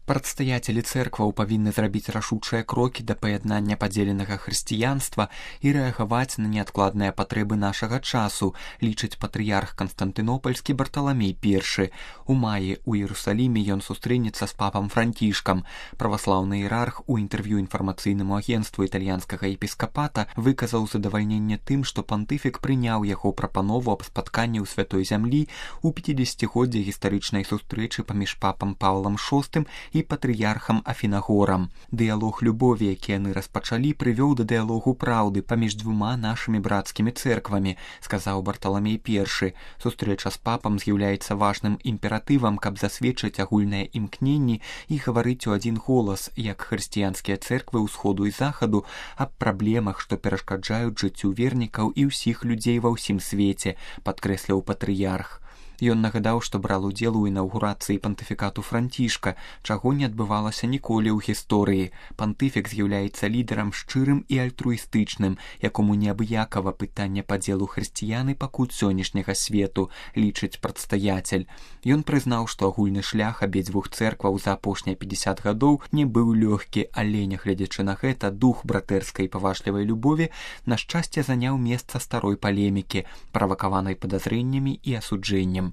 Прадстаяцелі цэркваў павінны зрабіць рашучыя крокі да паяднання падзеленага хрысціянства і рэагаваць на неадкладныя патрэбы нашага часу, лічыць патрыярх Канстантынопольскі Барталамей I. У маі ў Іерусаліме ён сустрэнецца з папам Францішкам. Праваслаўны іерарх у інтэрв'ю інфармацыйнаму агенцтву італьянскага епіскапата выказаў задавальненне тым, што пантыфік прыняў яго прапанову аб спатканні ў Святой зямлі ў 50-годдзе гістарычнай сустрэчы паміж папам Паўлам VI і патрыярхам Афінагорам. Дыялог любові, які яны распачалі, прывёў да дыялогу праўды паміж двума нашымі брацкімі цэрквамі, сказаў Барталамей I. Сустрэча з папам з'яўляецца важным імператывам, каб засведчыць агульныя імкненні і гаварыць у адзін голас, як хрысціянскія цэрквы ўсходу і захаду, аб праблемах, што перашкаджаюць жыццю вернікаў і ўсіх людзей ва ўсім свеце, падкрэсліў патрыярх. Ён нагадаў, што браў удзел у інаўгурацыі пантыфікату Францішка, чаго не адбывалася ніколі ў гісторыі. Пантыфік з'яўляецца лідарам шчырым і альтруістычным, якому неабыякава пытанне падзелу хрысціян і пакут сённяшняга свету, лічыць прадстаяцель. Ён прызнаў, што агульны шлях абедзвюх цэркваў за апошнія 50 гадоў не быў лёгкі, але, нягледзячы на гэта, дух братэрскай паважлівай любові на шчасце заняў месца старой палемікі, правакаванай падазрэннямі і асуджэннем.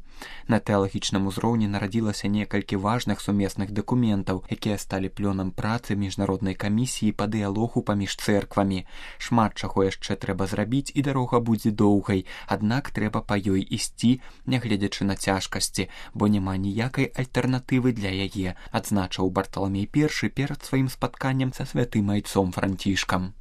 На тэалагічным узроўні нарадзілася некалькі важных сумесных дакументаў, якія сталі плёнам працы міжнароднай камісіі па дыялогу паміж цэрквамі. Шмат чаго яшчэ трэба зрабіць, і дарога будзе доўгай, аднак трэба па ёй ісці, нягледзячы на цяжкасці, бо няма ніякай альтэрнатывы для яе, адзначыў Барталамей I перад сваім спатканнем са святым айцом Францішкам.